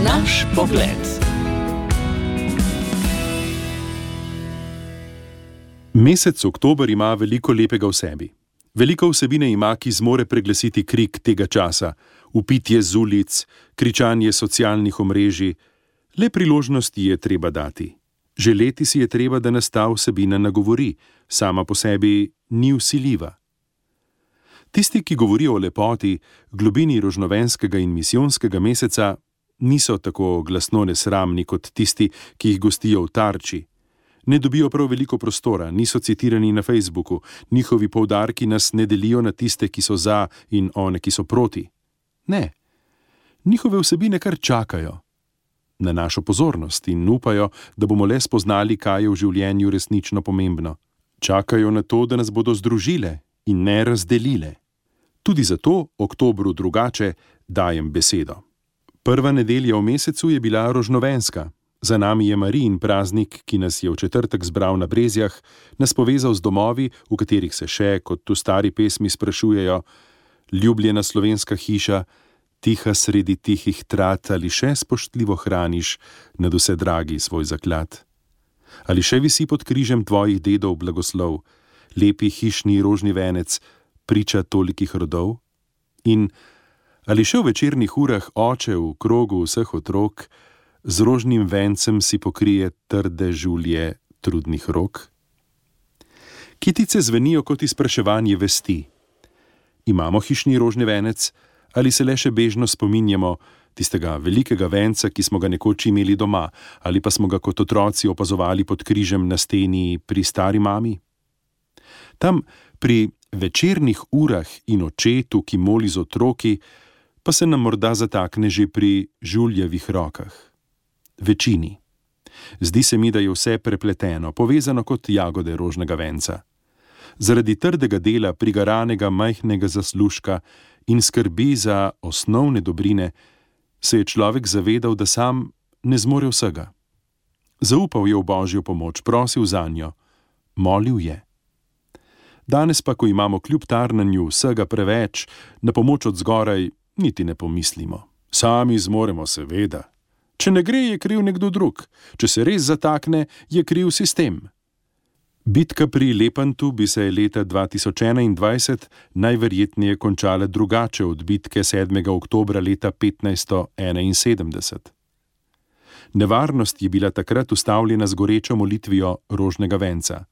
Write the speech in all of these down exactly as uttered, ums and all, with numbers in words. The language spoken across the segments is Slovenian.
Naš pogled. Mesec oktober ima veliko lepega v sebi. Veliko vsebine ima, ki zmore preglasiti krik tega časa, vpitje z ulic, kričanje socialnih omrežij. Le priložnosti je treba dati. Želeti si je treba, da nas ta vsebina nagovori, sama po sebi ni vsiljiva. Tisti, ki govorijo o lepoti, globini rožnovenskega in misijonskega meseca, niso tako glasno nesramni kot tisti, ki jih gostijo v Tarči. Ne dobijo prav veliko prostora, niso citirani na Facebooku, njihovi poudarki nas ne delijo na tiste, ki so za in one, ki so proti. Ne, njihove vsebine kar čakajo na našo pozornost in upajo, da bomo le spoznali, kaj je v življenju resnično pomembno. Čakajo na to, da nas bodo združile in ne razdelile. Tudi zato oktobru drugače dajem besedo. Prva nedelja v mesecu je bila rožnovenska. Za nami je Marijin praznik, ki nas je v četrtek zbral na Brezjah, nas povezal z domovi, v katerih se še, kot v stari pesmi, sprašujejo: ljubljena slovenska hiša, tiha sredi tihih trat, ali še spoštljivo hraniš nad vse dragi svoj zaklad? Ali še visi pod križem tvojih dedov blagoslov, lepi hišni rožni venec, priča tolikih rodov? In ali še v večernih urah oče v krogu vseh otrok z rožnim vencem si pokrije trde žulje trudnih rok? Kitice zvenijo kot izpraševanje vesti. Imamo hišni rožni venec ali se le še bežno spominjamo tistega velikega venca, ki smo ga nekoč imeli doma, ali pa smo ga kot otroci opazovali pod križem na steni pri stari mami? Tam pri večernih urah in očetu, ki moli z otroki, pa se nam morda zatakne že pri žuljevih rokah. Večini. Zdi se mi, da je vse prepleteno, povezano kot jagode rožnega venca. Zaradi trdega dela, prigaranega majhnega zaslužka in skrbi za osnovne dobrine, se je človek zavedal, da sam ne zmore vsega. Zaupal je v Božjo pomoč, prosil zanjo, molil je. Danes pa, ko imamo kljub tarnanju vsega preveč, na pomoč od zgoraj niti ne pomislimo. Sami zmoremo, seveda. Če ne gre, je kriv nekdo drug. Če se res zatakne, je kriv sistem. Bitka pri Lepantu bi se leta dva tisoč enaindvajset najverjetneje končala drugače od bitke sedmega oktobra leta petnajststo enainsedemdeset. Nevarnost je bila takrat ustavljena z gorečo molitvijo rožnega venca.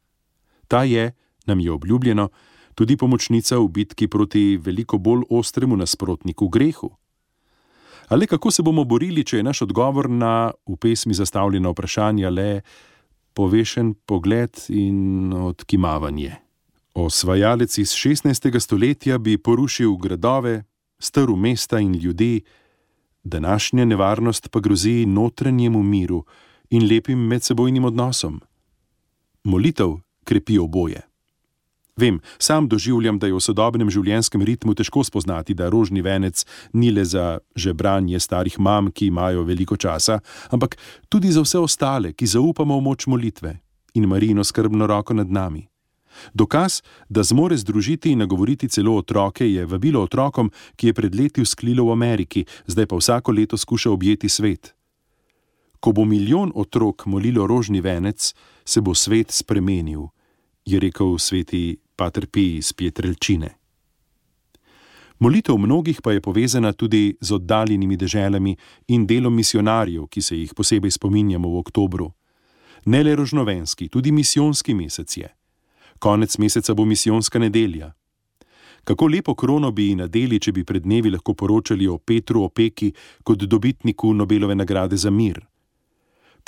Ta je, nam je obljubljeno, tudi pomočnica v bitki proti veliko bolj ostremu nasprotniku grehu. Ali kako se bomo borili, če je naš odgovor na v pesmi zastavljena vprašanja le povešen pogled in odkimavanje? Osvajalec iz šestnajstega stoletja bi porušil gradove, strl mesta in ljudi, današnja nevarnost pa grozi notranjemu miru in lepim medsebojnim odnosom. Molitev krepi oboje. Vem, sam doživljam, da je v sodobnem življenjskem ritmu težko spoznati, da rožni venec ni le za žebranje starih mam, ki imajo veliko časa, ampak tudi za vse ostale, ki zaupamo v moč molitve in Marijino skrbno roko nad nami. Dokaz, da zmore združiti in nagovoriti celo otroke, je vabilo otrokom, ki je pred leti vzklilo v Ameriki, zdaj pa vsako leto skuša objeti svet. Ko bo milijon otrok molilo rožni venec, se bo svet spremenil, je rekel sveti Pater Pij iz Pietrelcine. Molitev mnogih pa je povezana tudi z oddaljenimi deželami in delom misionarjev, ki se jih posebej spominjamo v oktobru. Ne le rožnovenski, tudi misijonski mesec je. Konec meseca bo misijonska nedelja. Kako lepo krono bi ji nadeli, če bi pred dnevi lahko poročali o Petru Opeki kot dobitniku Nobelove nagrade za mir.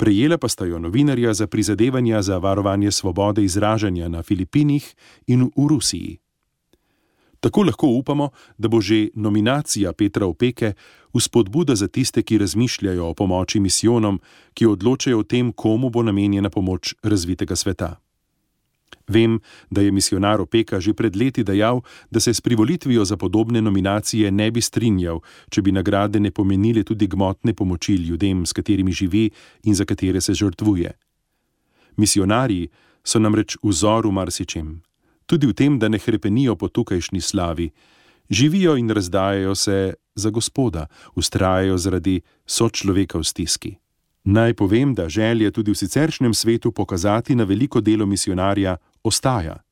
Prejela pa sta jo novinarja za prizadevanja za varovanje svobode izražanja na Filipinih in v Rusiji. Tako lahko upamo, da bo že nominacija Petra Opeke vzpodbuda za tiste, ki razmišljajo o pomoči misijonom, ki odločajo o tem, komu bo namenjena pomoč razvitega sveta. Vem, da je misijonar Opeka že pred leti dejal, da se s privolitvijo za podobne nominacije ne bi strinjal, če bi nagrade ne pomenile tudi gmotne pomoči ljudem, s katerimi živi in za katere se žrtvuje. Misijonarji so namreč vzor v marsičem, tudi v tem, da ne hrepenijo po tukajšnji slavi, živijo in razdajajo se za Gospoda, vztrajajo zaradi sočloveka v stiski. Naj povem, da želje tudi v siceršnjem svetu pokazati na veliko delo misijonarja ostaja.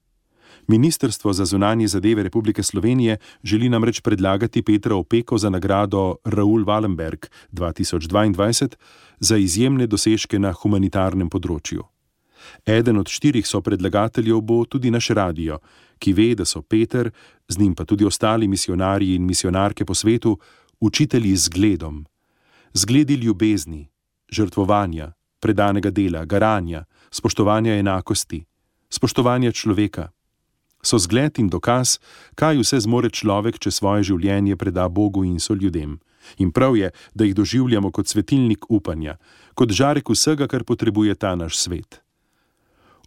Ministrstvo za zunanje zadeve Republike Slovenije želi namreč predlagati Petra Opeko za nagrado Raoul Wallenberg dva tisoč dvaindvajset za izjemne dosežke na humanitarnem področju. Eden od štirih sopredlagateljev bo tudi naš radio, ki ve, da so Peter, z njim pa tudi ostali misijonarji in misijonarke po svetu, učitelji z zgledom. Zgledi ljubezni, žrtvovanja, predanega dela, garanja, spoštovanja enakosti, spoštovanja človeka. So zgled in dokaz, kaj vse zmore človek, če svoje življenje preda Bogu in soljudem. In prav je, da jih doživljamo kot svetilnik upanja, kot žarek vsega, kar potrebuje ta naš svet.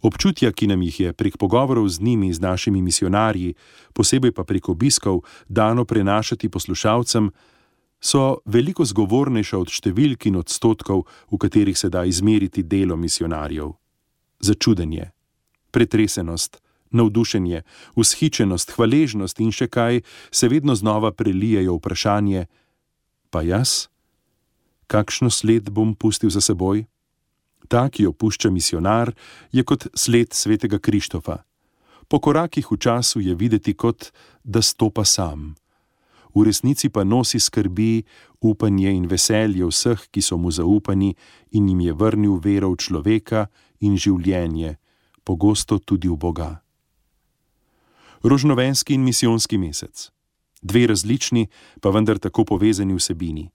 Občutja, ki nam jih je prek pogovorov z njimi, z našimi misijonarji, posebej pa prek obiskov, dano prenašati poslušalcem, so veliko zgovornejša od številk in odstotkov, v katerih se da izmeriti delo misijonarjev. Začudenje, pretresenost, navdušenje, vzhičenost, hvaležnost in še kaj se vedno znova prelijejo vprašanje: pa jaz? Kakšno sled bom pustil za seboj? Ta, ki jo pušča misijonar, je kot sled svetega Krištofa. Po korakih v času je videti kot, da stopa sam. V resnici pa nosi skrbi, upanje in veselje vseh, ki so mu zaupani, in jim je vrnil vero v človeka in življenje, pogosto tudi v Boga. Rožnovenski in misijonski mesec. Dve različni, pa vendar tako povezani vsebini.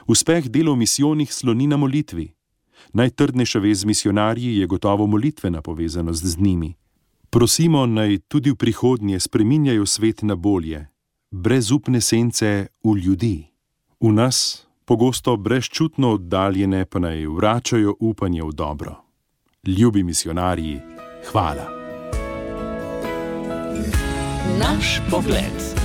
Uspeh dela v misijonih sloni na molitvi. Najtrdnejša vez z misijonarji je gotovo molitvena povezanost z njimi. Prosimo, naj tudi v prihodnje spreminjajo svet na bolje, brezupne sence v ljudi. V nas, pogosto brezčutno oddaljene, pa naj vračajo upanje v dobro. Ljubi misijonarji, hvala. Naš pogled.